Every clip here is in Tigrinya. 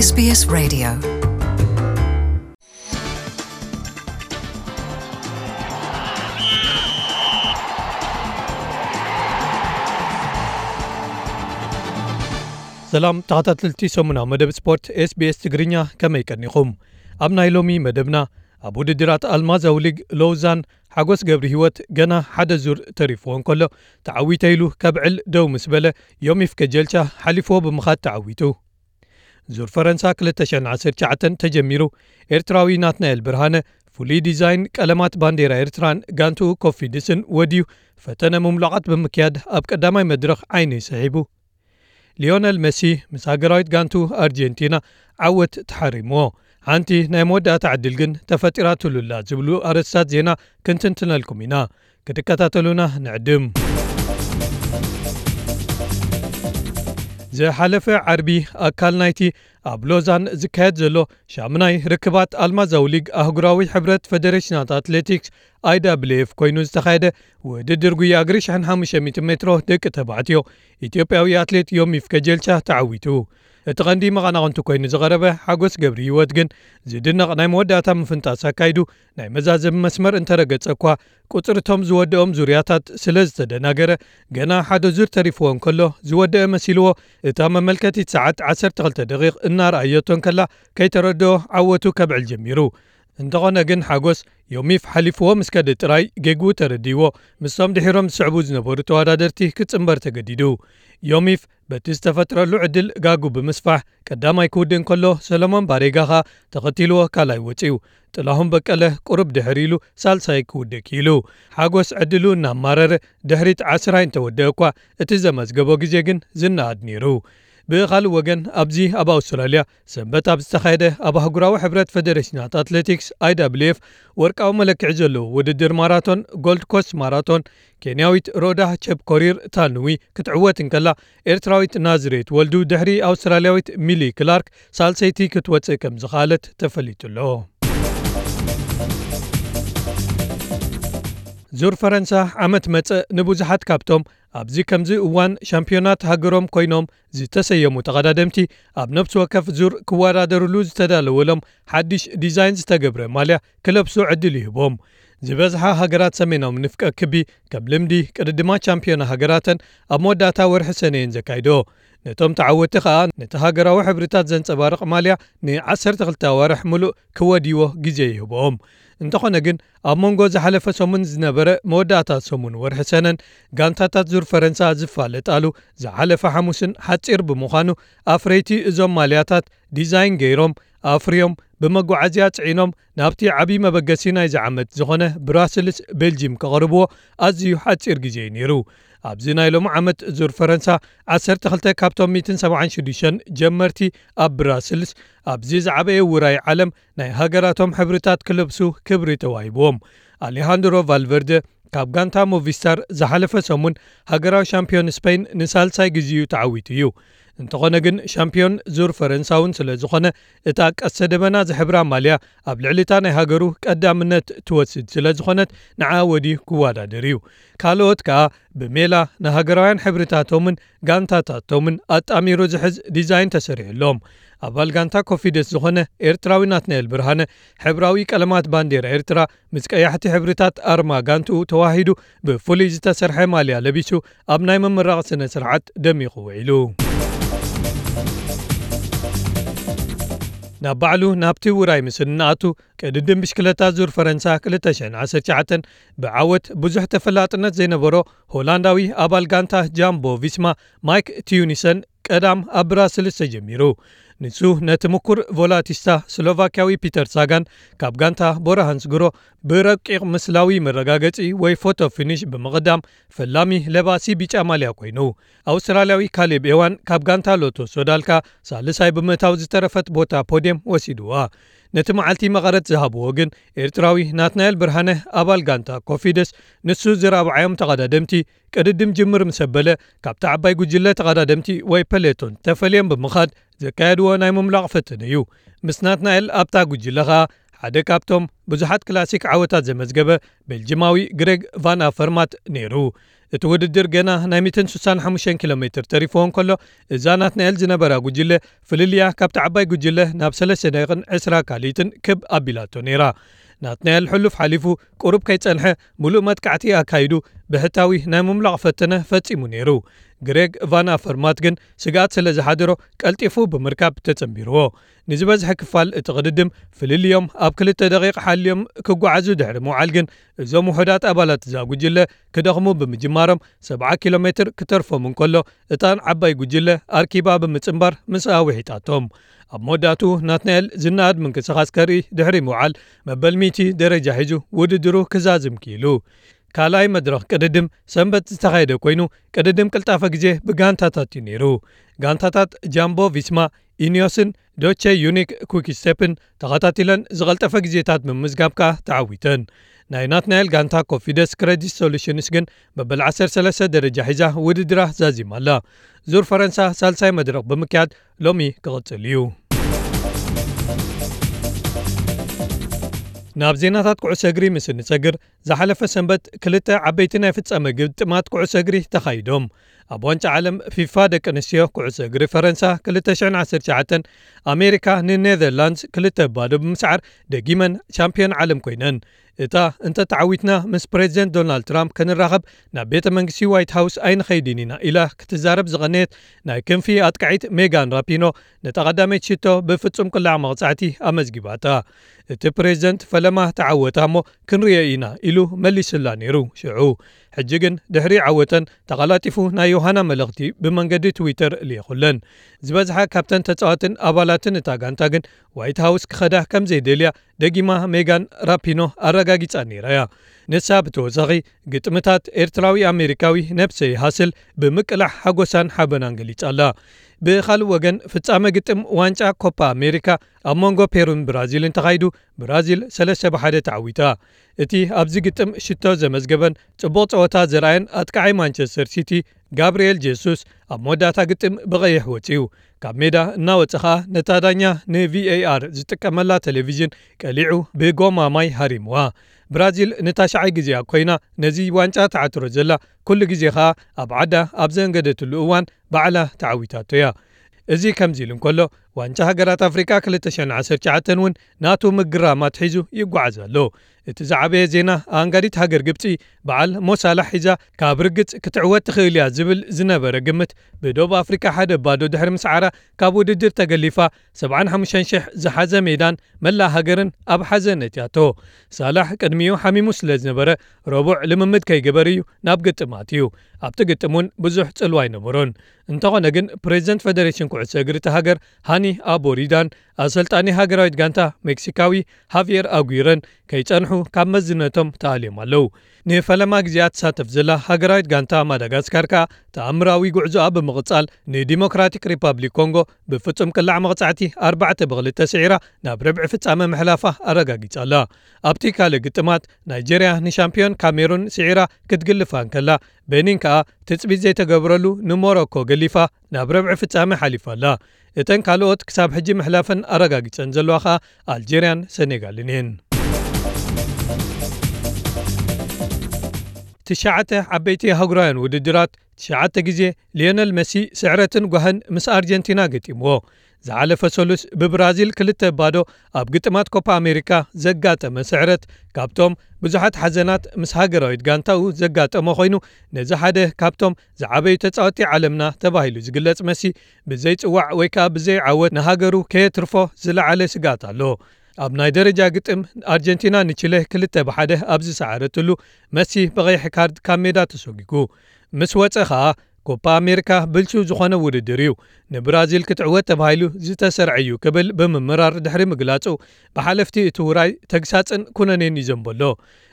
SBS Radio. ሰላም ተኸታተልቲ ሰሙናዊ መደብ ስፖርት SBS ትግርኛ፣ ከመይ ቀኒኹም? ኣብ ናይ ሎሚ መደብና፣ ኣብ ውድድራት ኣልማዛዊ ሊግ ሎውዛን ሓጎስ ገብሪ ህይወት ገና ሓደ ዙር ተሪፍዎ እንከሎ፣ ተዓዊተ ኢሉ ከብዕል ደው ምስ በለ፣ ዮሚፍ ከጀልቻ ሓሊፍዎ ብምኻድ ተዓዊቱ። ዙር ፈረንሳ ክልተ ሽሕን ዓሰርተ ትሽዓተን ተጀሚሩ፣ ኤርትራዊ ናትናኤል ብርሃነ ፍሉይ ዲዛይን ቀለማት ባንዴራ ኤርትራን ጋንትኡ ኮፊድስን ወድዩ፣ ፈተነ ምምሉቓት ብምክያድ ኣብ ቀዳማይ መድረኽ ዓይኒ ስሒቡ። ሊዮነል መሲ ምስ ሃገራዊት ጋንቱ ኣርጀንቲና ዓወት ተሓሪምዎ። ሓንቲ ናይ መወዳእታ ዕድል ግን ተፈጢራትሉላ ዝብሉ ኣርእስታት ዜና ክንትንትነልኩም ኢና። ክትከታተሉና ንዕድም። ዝሓለፈ ዓርቢ ኣካል ናይቲ ኣብ ሎዛን ዝካየድ ዘሎ ሻምናይ ርክባት ኣልማዛዊ ሊግ ኣህጉራዊ ሕብረት ፈደሬሽናት ኣትሌቲክስ፣ I W F፣ ኮይኑ ዝተኻየደ ውድድር ጉያ እግሪ ሽሕን ሓሙሽተ ሚእትን ሜትሮ ደቂ ተባዕትዮ፣ ኢትዮጵያዊ ኣትሌት ዮሚፍ ከጀልቻ ተዓዊቱ። እቲ ቀንዲ መቐናቕንቱ ኮይኑ ዝቐረበ ሓጎስ ገብሪ ህይወት ግን ዝድነቕ ናይ መወዳእታ ምፍንጣስ ኣካይዱ፣ ናይ መዛዘሚ መስመር እንተረገጸ እኳ፣ ቁጽሪ እቶም ዝወደኦም ዙርያታት ስለ ዝተደናገረ፣ ገና ሓደ ዙር ተሪፍዎ እንከሎ ዝወደአ መሲልዎ፣ እታ መመልከቲት ሰዓት ዓሰርተ ክልተ ደቂቕ እናረኣየቶ እንከላ፣ ከይተረድኦ ዓወቱ ከብዕል ጀሚሩ። እንተኾነ ግን ሓጎስ ዮሚፍ ሓሊፍዎ ምስ ከደ ጥራይ ጌግኡ ተረዲእዎ፣ ምስቶም ድሒሮም ዝስዕቡ ዝነበሩ ተወዳደርቲ ክጽንበር ተገዲዱ። ዮሚፍ በቲ ዝተፈጥረሉ ዕድል ጋጉ ብምስፋሕ ቀዳማይ ክውድእ እንከሎ፣ ሰለሞን ባሬጋ ኸኣ ተኸቲልዎ ካልኣይ ወጺኡ። ጥላሁን በቀለ ቁሩብ ድሕር ኢሉ ሳልሳይ ክውድእ ክኢሉ። ሓጎስ ዕድሉ እናማረረ ድሕሪት ዓስራይ እንተወደአ እኳ፣ እቲ ዘመዝገቦ ግዜ ግን ዝነኣድ ነይሩ። ብኻልእ ወገን፣ ኣብዚ ኣብ ኣውስትራልያ ሰንበት ኣብ ዝተኻየደ ኣብ ኣህጉራዊ ሕብረት ፈደሬሽናት ኣትሌቲክስ፣ I W F፣ ወርቃዊ መለክዒ ዘለዎ ውድድር ማራቶን፣ ጎልድ ኮስት ማራቶን፣ ኬንያዊት ሮዳ ቸፕኮሪር ታንዊ ክትዕወት እንከላ፣ ኤርትራዊት ናዝሬት ወልዱ ድሕሪ ኣውስትራልያዊት ሚሊ ክላርክ ሳልሰይቲ ክትወጽእ ከም ዝኸኣለት ተፈሊጡ ኣሎ። ዙር ፈረንሳ ዓመት መጸ ንብዙሓት ካብቶም ኣብዚ ከምዚ እዋን ሻምፒዮናት ሃገሮም ኮይኖም ዝተሰየሙ ተቐዳደምቲ፣ ኣብ ነፍሲ ወከፍ ዙር ክወዳደርሉ ዝተዳለወሎም ሓድሽ ዲዛይን ዝተገብረ ማልያ ክለብሱ ዕድል ይህቦም። ዝበዝሓ ሃገራት ሰሜናዊ ንፍቀ ክቢ፣ ከም ልምዲ፣ ቅድድማት ሻምፒዮና ሃገራተን ኣብ መወዳእታ ወርሒ ሰነ እየን ዘካይድኦ። ነቶም ተዓወትቲ ኸኣ፣ ነቲ ሃገራዊ ሕብርታት ዘንጸባርቕ ማልያ ንዓሰርተ ክልተ ኣዋርሕ ምሉእ ክወድይዎ ግዜ ይህብኦም። እንተኾነ ግን፣ ኣብ መንጎ ዝሓለፈ ሰሙን ዝነበረ መወዳእታ ሰሙን ወርሒ ሰነን ጋንታታት ዙር ፈረንሳ ዝፋለጣሉ ዝሓለፈ ሓሙስን ሓጺር ብምዃኑ፣ ኣፍረይቲ እዞም ማልያታት ዲዛይን ገይሮም፣ ኣፍርዮም፣ ብመጓዓዝያ ጽዒኖም ናብቲ ዓቢ መበገሲ ናይዚ ዓመት ዝኾነ ብራስልስ ቤልጂም ከቕርብዎ ኣዝዩ ሓጺር ግዜ እዩ ነይሩ። ኣብዚ ናይ ሎሚ ዓመት ዙር ፈረንሳ፣ ዓሰርተ ክልተ ካብቶም ሚእትን ሰብዓን ሽዱሽተን ጀመርቲ ኣብ ብራስልስ፣ ኣብዚ ዝዓበየ ውራይ ዓለም፣ ናይ ሃገራቶም ሕብርታት ክለብሱ ክብሪ ተዋሂብዎም። ኣሌሃንድሮ ቫልቨርደ ካብ ጋንታ ሞቪስታር ዝሓለፈ ሰሙን ሃገራዊ ሻምፒዮን ስፔን ንሳልሳይ ግዜኡ ተዓዊቱ እዩ። እንተኾነ ግን፣ ሻምፒዮን ዙር ፈረንሳ እውን ስለ ዝኾነ፣ እታ ቀስተ ደበና ዝሕብራ ማልያ ኣብ ልዕሊ እታ ናይ ሃገሩ ቀዳምነት ትወስድ ስለ ዝኾነት፣ ንዓ ወድዩ ክወዳደር እዩ። ካልኦት ከኣ ብሜላ ንሃገራውያን ሕብርታቶምን ጋንታታቶምን ኣጣሚሩ ዝሕዝ ዲዛይን ተሰሪሑሎም። ኣባል ጋንታ ኮፊደስ ዝኾነ ኤርትራዊ ናትናኤል ብርሃነ፣ ሕብራዊ ቀለማት ባንዴራ ኤርትራ ምስ ቀያሕቲ ሕብርታት ኣርማ ጋንትኡ ተዋሂዱ ብፍሉይ ዝተሰርሐ ማልያ ለቢሱ ኣብ ናይ ምምራቕ ስነ ስርዓት ደሚቑ ውዒሉ። ናብ ባዕሉ ናብቲ ውራይ ምስ እንኣቱ፣ ቅድድም ብሽክለታ ዙር ፈረንሳ ክልተ ሽሕን ዓሰርተ ትሽዓተን ብዓወት ብዙሕ ተፈላጥነት ዘይነበሮ ሆላንዳዊ ኣባል ጋንታ ጃምቦ ቪስማ ማይክ ቲዩኒሰን ቀዳም ኣብ ብራስልስ ተጀሚሩ። ንሱ ነቲ ምኩር ቮላቲስታ ስሎቫክያዊ ፒተር ሳጋን ካብ ጋንታ ቦራ ሃንስግሮ ብረቂቕ ምስላዊ መረጋገጺ ወይ ፎቶ ፊኒሽ ብምቕዳም፣ ፈላሚ ለባሲ ቢጫ ማልያ ኮይኑ። ኣውስትራልያዊ ካሌብ ኤዋን ካብ ጋንታ ሎቶ ሶዳልካ ሳልሳይ ብምእታው ዝተረፈት ቦታ ፖድየም ወሲድዋ። ነቲ መዓልቲ መቐረት ዝሃብዎ ግን ኤርትራዊ ናትናኤል ብርሃነ ኣባል ጋንታ ኮፊደስ፣ ንሱ ዝራብዓዮም ተቐዳደምቲ ቅድድም ጅምር ምስ ኣበለ፣ ካብቲ ዓባይ ጉጅለ ተቐዳደምቲ ወይ ፐሌቶን ተፈልዮም ብምኻድ ዘካየድዎ ናይ ምምላቕ ፈተነ እዩ። ምስ ናትናኤል ኣብታ ጉጅለ ኸኣ ሓደ ካብቶም ብዙሓት ክላሲክ ዓወታት ዘመዝገበ ቤልጂማዊ ግሬግ ቫን ኣፈርማት ነይሩ። እቲ ውድድር ገና ናይ ሚእትን ስሳን ሓሙሽተን ኪሎ ሜትር ተሪፍዎ እንከሎ፣ እዛ ናትናኤል ዝነበራ ጉጅለ ፍልልያ ካብቲ ዓባይ ጉጅለ ናብ ሰለስተ ደቂቕን ዕስራ ካልኢትን ክብ ኣቢላቶ ነይራ። ናትናኤል ሕሉፍ ሓሊፉ ቁሩብ ከይጸንሐ፣ ምሉእ መጥቃዕቲ ኣካይዱ ብሕታዊ ናይ ምምላቕ ፈተነ ፈጺሙ ነይሩ። ግሬግ ቫን ኣፈርማት ግን ስግኣት ስለ ዝሓደሮ ቀልጢፉ ብምርካብ ተጸንቢርዎ። ንዝበዝሐ ክፋል እቲ ቅድድም ፍልልዮም ኣብ ክልተ ደቂቕ ሓልዮም ክጓዓዙ ድሕሪ ምውዓል ግን እዞም ውሑዳት ኣባላት እዛ ጉጅለ ክደኽሙ ብምጅማሮም ሰብዓ ኪሎ ሜትር ክተርፎም እንከሎ እታን ዓባይ ጉጅለ ኣርኪባ ብምጽንባር ምስኣ ውሒጣቶም። ኣብ መወዳእቱ ናትናኤል ዝነኣድ ምንቅስቓስ ከርኢ ድሕሪ ምውዓል መበል ሚእቲ ደረጃ ሒዙ ውድድሩ ክዛዝም ክኢሉ። ካልኣይ መድረኽ ቅድድም ሰንበት ዝተኻየደ ኮይኑ ቅድድም ቅልጣፈ ግዜ ብጋንታታት እዩ ነይሩ። ጋንታታት ጃምቦ ቪስማ፣ ኢኒዮስን ዶቼ ዩኒክ ኩኪስቴፕን ተኸታቲለን ዝቐልጠፈ ግዜታት ብምምዝጋብ ከኣ ተዓዊተን። ናይ ናትናኤል ጋንታ ኮፊደስ ክሬዲት ሶሉሽንስ ግን መበል ዓሰርተ ሰለስተ ደረጃ ሒዛ ውድድራ ዛዚማ ኣላ። ዙር ፈረንሳ ሳልሳይ መድረኽ ብምክያድ ሎሚ ክቕጽል እዩ። ናብ ዜናታት ኩዕሶ እግሪ ምስ እንጸግር፣ ዝሓለፈ ሰንበት ክልተ ዓበይቲ ናይ ፍጻመ ግጥማት ኩዕሶ እግሪ ተኻይዶም። ኣብ ዋንጫ ዓለም ፊፋ ደቂ ኣንስትዮ ኩዕሶ እግሪ ፈረንሳ ክልተ ሽሕን ዓሰርተ ትሽዓተን ኣሜሪካ ንኔዘርላንድስ ክልተ ባዶ ብምስዓር ደጊመን ቻምፒዮን ዓለም ኮይነን። እታ እንተ ተዓዊትና ምስ ፕሬዚደንት ዶናልድ ትራምፕ ክንራኸብ ናብ ቤተ መንግስቲ ዋይት ሃውስ ኣይንኸይድን ኢና ኢላ ክትዛረብ ዝቐነየት ናይ ክንፊ ኣጥቃዒት ሜጋን ራፒኖ ነታ ቀዳመይቲ ሽቶ ብፍጹም ቅላዕ መቕጻዕቲ ኣመዝጊባታ። እቲ ፕሬዚደንት ፈለማ ተዓወታ እሞ ክንርእዮ ኢና ኢሉ መሊሱላ ነይሩ። ሽዑ ሕጂ ግን ድሕሪ ዓወተን ተቐላጢፉ ናይ ዮሃና መልእኽቲ ብመንገዲ ትዊተር ልኢኹለን። ዝበዝሓ ካብተን ተጻዋትን ኣባላትን እታ ጋንታ ግን ዋይት ሃውስ ክኸዳ ከም ዘይደልያ ደጊማ ሜጋን ራፒኖ ኣረጋጊጻ ነይራ እያ። ንሳ ብተወሳኺ ግጥምታት ኤርትራዊ ኣሜሪካዊ ነብሰይ ሃስል ብምቅላሕ ሓጎሳን ሓበናን ገሊጻ ኣላ። ብኻልእ ወገን ፍጻመ ግጥም ዋንጫ ኮፓ ኣሜሪካ ኣብ መንጎ ፔሩን ብራዚልን ተኻይዱ ብራዚል ሰለስተ ብሓደ ተዓዊታ። እቲ ኣብዚ ግጥም ሽቶ ዘመዝገበን ጽቡቕ ጸወታ ዘርኣየን ኣጥቃዓይ ማንቸስተር ሲቲ ጋብርኤል ጄሱስ ኣብ መወዳእታ ግጥም ብቐይሕ ወጺኡ። ካብ ሜዳ እናወጸ ኸኣ ነታ ዳኛ ንቪኤኣር ዝጥቀመላ ቴሌቪዥን ቀሊዑ ብጎማ ማይ ሃሪምዋ። ብራዚል ንታሽዓይ ግዜኣ ኮይና ነዚ ዋንጫ ትዓትሮ ዘላ፣ ኩሉ ግዜ ኸኣ ኣብ ዓዳ ኣብ ዘንገደትሉ እዋን ባዕላ ተዓዊታቶ እያ። እዚ ከምዚ ኢሉ እንከሎ፣ ዋንጫ ሃገራት ኣፍሪቃ ክልተ ሽሕን ዓሰርተ ትሽዓተን እውን ናቱ ምግራማት ሒዙ ይጓዓዝ ኣሎ። እቲ ዝዓበየ ዜና፣ ኣንጋዲት ሃገር ግብጺ በዓል ሞሳላሕ ሒዛ ካብ ርግጽ ክትዕወት ትኽእል እያ ዝብል ዝነበረ ግምት ብደቡብ ኣፍሪቃ ሓደ ባዶ ድሕሪ ምስዓራ ካብ ውድድር ተገሊፋ፣ ሰብዓን ሓሙሽተን ሽሕ ዝሓዘ ሜዳን መላእ ሃገርን ኣብ ሓዘን ነትያቶ። ሳላሕ ቅድሚኡ ሓሚሙ ስለ ዝነበረ ረቡዕ ልምምድ ከይገበረ እዩ ናብ ግጥም ኣትዩ። ኣብቲ ግጥም እውን ብዙሕ ጽልዋ ኣይነበሮን። እንተኾነ ግን ፕሬዚደንት ፌደሬሽን ኩዕሶ እግሪ እታ ሃገር ሃኒ ኣቦሪዳን ኣሰልጣኒ ሃገራዊት ጋንታ ሜክሲካዊ ሃቪየር ኣጉይረን ከይጸንሑ ካብ መዝነቶም ተኣልዮም ኣለዉ። ንፈለማ ግዜኣ ትሳተፍ ዘላ ሃገራዊት ጋንታ ማዳጋስካር ከኣ ተኣምራዊ ጉዕዞኣ ብምቕጻል ንዲሞክራቲክ ሪፓብሊክ ኮንጎ ብፍጹም ቅላዕ መቕጻዕቲ ኣርባዕተ ብኽልተ ስዒራ ናብ ርብዒ ፍጻመ ምሕላፋ ኣረጋጊጻ ኣላ። ኣብቲ ካልእ ግጥማት ናይጀርያ ንሻምፒዮን ካሜሩን ስዒራ ክትግልፋ እንከላ፣ ቤኒን ከኣ ትጽቢት ዘይተገብረሉ ንሞሮኮ ገሊፋ ናብ ረብዒ ፍጻመ ሓሊፋ ኣላ። እተን ካልኦት ክሳብ ሕጂ ምሕላፈን ኣረጋጊጸን ዘለዋ ከኣ ኣልጀርያን ሰኔጋልን እየን። ትሽዓተ ዓበይቲ ኣህጉራውያን ውድድራት ትሽዓተ ግዜ ሊዮነል መሲ ስዕረትን ጓህን ምስ ኣርጀንቲና ገጢምዎ። ዝሓለፈ ሰሉስ ብብራዚል ክልተ ባዶ ኣብ ግጥማት ኮፓ ኣሜሪካ ዘጋጠመ ስዕረት ካብቶም ብዙሓት ሓዘናት ምስ ሃገራዊት ጋንታኡ ዘጋጠመ ኮይኑ፣ ነዚ ሓደ ካብቶም ዝዓበዩ ተጻወቲ ዓለምና ተባሂሉ ዝግለጽ መሲ ብዘይጽዋዕ ወይ ከኣ ብዘይዓወት ንሃገሩ ከየትርፎ ዝለዓለ ስግኣት ኣሎ። ኣብ ናይ ደረጃ ግጥም ኣርጀንቲና ንቺለ ክልተ ብሓደ ኣብ ዝሰዓረትሉ መሲ ብቐይሕ ካርድ ካብ ሜዳ ተሰጒጉ። ምስ ወጸ ከኣ ኮፓ ኣሜሪካ ብልሹ ዝኾነ ውድድር እዩ፣ ንብራዚል ክትዕወት ተባሂሉ ዝተሰርዐ እዩ ክብል ብምምራር ድሕሪ ምግላጹ፣ ብሓለፍቲ እቲ ውራይ ተግሳጽን ኩነኔን ይዘንበሎ።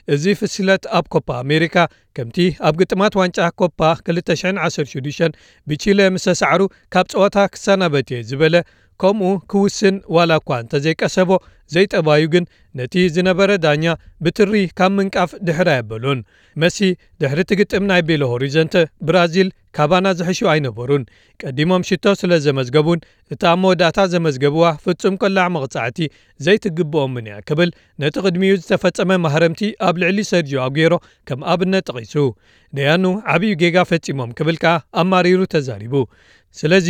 እዚ ፍስለት ኣብ ኮፓ ኣሜሪካ ከምቲ ኣብ ግጥማት ዋንጫ ኮፓ ክልተ ሽሕን ዓሰርተ ሽዱሽተን ብቺለ ምስ ተሳዕሩ ካብ ጸወታ ክሰናበት እየ ዝበለ ከምኡ ክውስን ዋላ እኳ እንተዘይቀሰቦ፣ ዘይጠባዩ ግን ነቲ ዝነበረ ዳኛ ብትሪ ካብ ምንቃፍ ድሕር ኣየበሉን። መሲ ድሕሪ እቲ ግጥም ናይ ቤሎ ሆሪዘንተ ብራዚል ካባና ዝሕሹ ኣይነበሩን። ቀዲሞም ሽቶ ስለ ዘመዝገቡን እታ ኣብ መወዳእታ ዘመዝገብዋ ፍጹም ቅላዕ መቕጻዕቲ ዘይትግብኦምን እያ ክብል ነቲ ቅድሚኡ ዝተፈጸመ ማህረምቲ ኣብ ልዕሊ ሰርጂዮ ኣጉዌሮ ከም ኣብነት ጠቒሱ። ደያኑ ዓብዩ ጌጋ ፈጺሞም ክብል ከኣ ኣማሪሩ ተዛሪቡ። ስለዚ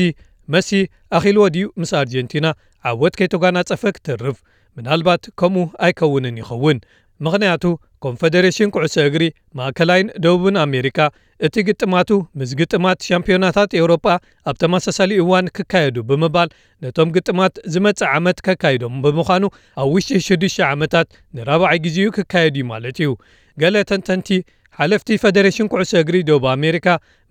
መሲ ኣኺልዎ ድዩ ምስ ኣርጀንቲና ዓወት ከይተጓናጸፈ ክትርፍ? ምናልባት ከምኡ ኣይከውንን ይኸውን። ምኽንያቱ ኮንፈደሬሽን ኩዕሶ እግሪ ማእከላይን ደቡብን ኣሜሪካ እቲ ግጥማቱ ምስ ግጥማት ሻምፒዮናታት ኤውሮጳ ኣብ ተመሳሳሊ እዋን ክካየዱ ብምባል ነቶም ግጥማት ዝመጽእ ዓመት ከካይዶም ብምዃኑ ኣብ ውሽጢ ሽዱሽተ ዓመታት ንራብዓይ ግዜኡ ክካየድ እዩ ማለት እዩ። ገለ ተንተንቲ ሓለፍቲ ፈደሬሽን ኩዕሶ እግሪ ደቡብ ኣሜሪካ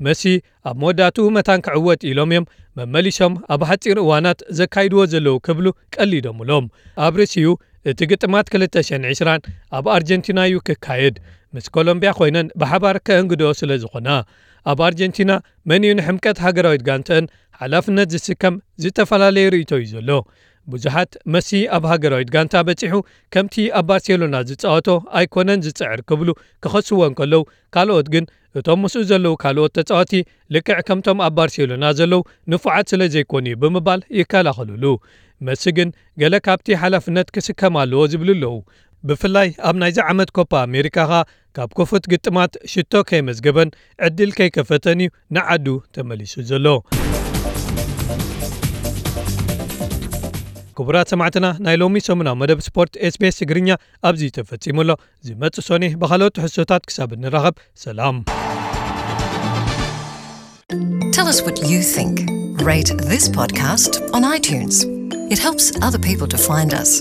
መሲ ኣብ መወዳእትኡ መታን ክዕወት ኢሎም እዮም መመሊሶም ኣብ ሓጺር እዋናት ዘካይድዎ ዘለዉ ክብሉ ቀሊዶምሎም። ኣብ ርእሲኡ እቲ ግጥማት ክልተ ሽሕን ዕስራን ኣብ ኣርጀንቲና እዩ ክካየድ፣ ምስ ኮሎምቢያ ኮይነን ብሓባር ከእንግድኦ ስለ ዝኾና። ኣብ ኣርጀንቲና መን እዩ ንሕምቀት ሃገራዊት ጋንተአን ሓላፍነት ዝስከም ዝተፈላለየ ርእይቶ እዩ ዘሎ። ብዙሓት መሲ ኣብ ሃገራዊት ጋንታ በጺሑ ከምቲ ኣብ ባርሴሎና ዝጻወቶ ኣይኮነን ዝጽዕር ክብሉ ክኸስዎ እንከለዉ፣ ካልኦት ግን እቶም ምስኡ ዘለዉ ካልኦት ተጻወቲ ልክዕ ከምቶም ኣብ ባርሴሎና ዘለዉ ንፉዓት ስለ ዘይኮኑ እዩ ብምባል ይከላኸሉሉ። መሲ ግን ገለ ካብቲ ሓላፍነት ክስከም ኣለዎ ዝብሉ ኣለዉ። ብፍላይ ኣብ ናይዚ ዓመት ኮፓ ኣሜሪካ ኸኣ ካብ ክፉት ግጥማት ሽቶ ከየመዝገበን ዕድል ከይከፈተን እዩ ንዓዱ ተመሊሱ ዘሎ። ክቡራት ሰማዕትና፣ ናይ ሎሚ ሰሙናዊ መደብ ስፖርት ኤስቢኤስ ትግርኛ ኣብዚ ተፈጺሙ ኣሎ። ዝመጽእ ሶኒ ብኻልኦት ትሕዝቶታት ክሳብ እንራኸብ፣ ሰላም። Tell us what you think. Rate this podcast on iTunes. It helps other people to find us.